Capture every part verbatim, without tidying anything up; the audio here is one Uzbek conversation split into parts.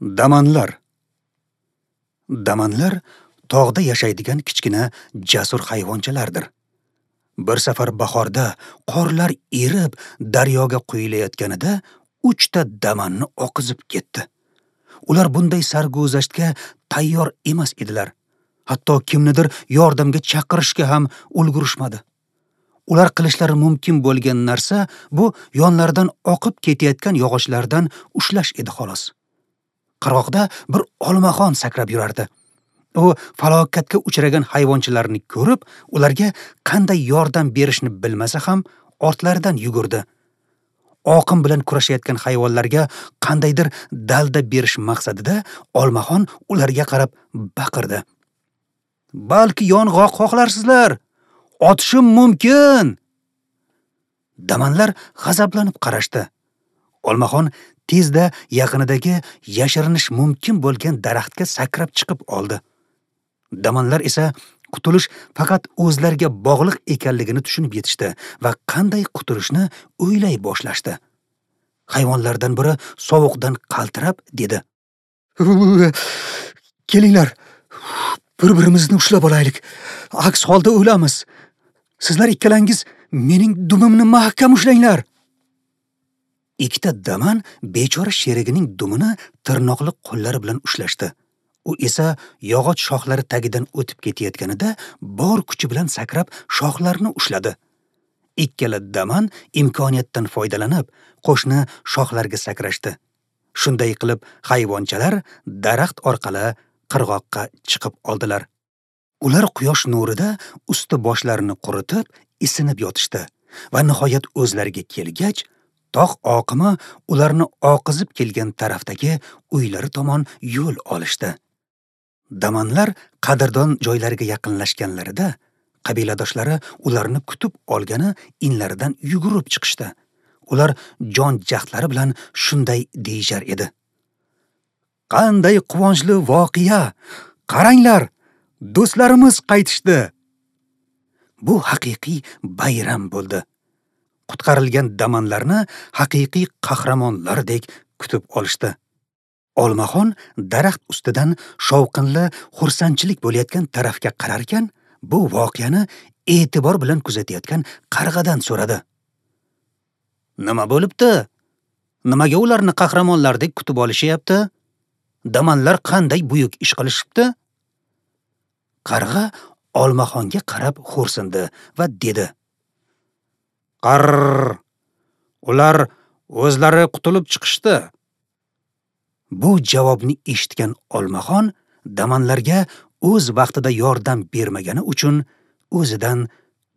Damanlar. Damanlar tog'da yashaydigan kichkina jasur hayvonchalardir. Bir safar bahorda qorlar erib daryoga quyilayotganida uchta damanni oqizib ketdi. Ular bunday sarguzashtga tayyor emas edilar. Hatto kimnidir yordamga chaqirishga ham ulgurishmadi. Ular qilishlari mumkin bo'lgan narsa bu yonlaridan oqib ketayotgan yog'ochlardan ushlash edi xolos. Qirg'oqda bir olmaxon sakrab yurardi. U falokatga uchragan hayvonchalarni ko'rib, ularga qanday yordam berishni bilmasa ham ortlaridan yugurdi. Oqim bilan kurashayotgan hayvonlarga qandaydir dalda berish maqsadida olmaxon ularga qarab baqirdi. Balki yong'oq xohlarsizlar? Otishim mumkin. Damanlar g'azablanib qarashdi. Olmaxon tezda yaqinidagi yashirinish mumkin bo'lgan daraxtga sakrab chiqib oldi. Damanlar esa qutulish faqat o'zlariga bog'liq ekanligini tushunib yetishdi va qanday qutulishni o'ylay boshlashdi. Hayvonlardan biri sovuqdan qaltirab dedi: "Kelinglar, bir-birimizni ushlab olaylik. Aks holda o'lamiz. Sizlar ikkalangiz mening dumimni mahkam ushlanglar." Ikkita daman bechora sherigining dumini tirnoqli qo'llari bilan ushlashdi. U esa yog'och shoxlari tagidan o'tib ketayotganida bor kuchi bilan sakrab shoxlarni ushladi. Ikkala daman imkoniyatdan foydalanib qo'shni shoxlarga sakrashdi. Shunday qilib hayvonchalar daraxt orqali qirg'oqqa chiqib oldilar. Ular quyosh nurida usti boshlarini quritib, isinib yotishdi va nihoyat o'zlariga kelgach, tog' oqimi ularni oqizib kelgan tarafdagi uylari tomon yo'l olishdi. Damanlar qadrdon joylariga yaqinlashganlarida qabiladoshlari ularni kutib olgani inlaridan yugurib chiqishdi. Ular jon jahdlari bilan shunday deyishar edi: "Qanday quvonchli voqea! Qaranglar, do'stlarimiz qaytishdi!" Bu haqiqiy bayram bo'ldi. Qutqarilgan damanlarni haqiqiy qahramonlardek kutib olishdi. Olmaxon daraxt ustidan shovqinli xursandchilik bo'layotgan tarafga qararkan, bu voqeani e'tibor bilan kuzatayotgan qarg'adan so'radi: "Nima bo'libdi? Nimaga ularni qahramonlardek kutib olishyapti? Damanlar qanday buyuk ish qilishibdi?" Qarg'a olmaxonga qarab xo'rsindi va dedi: "Qarr! Ular o'zlari qutulib chiqishdi." Bu javobni eshitgan olmaxon damanlarga o'z vaqtida yordam bermagani uchun o'zidan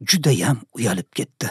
judayam uyalib ketdi.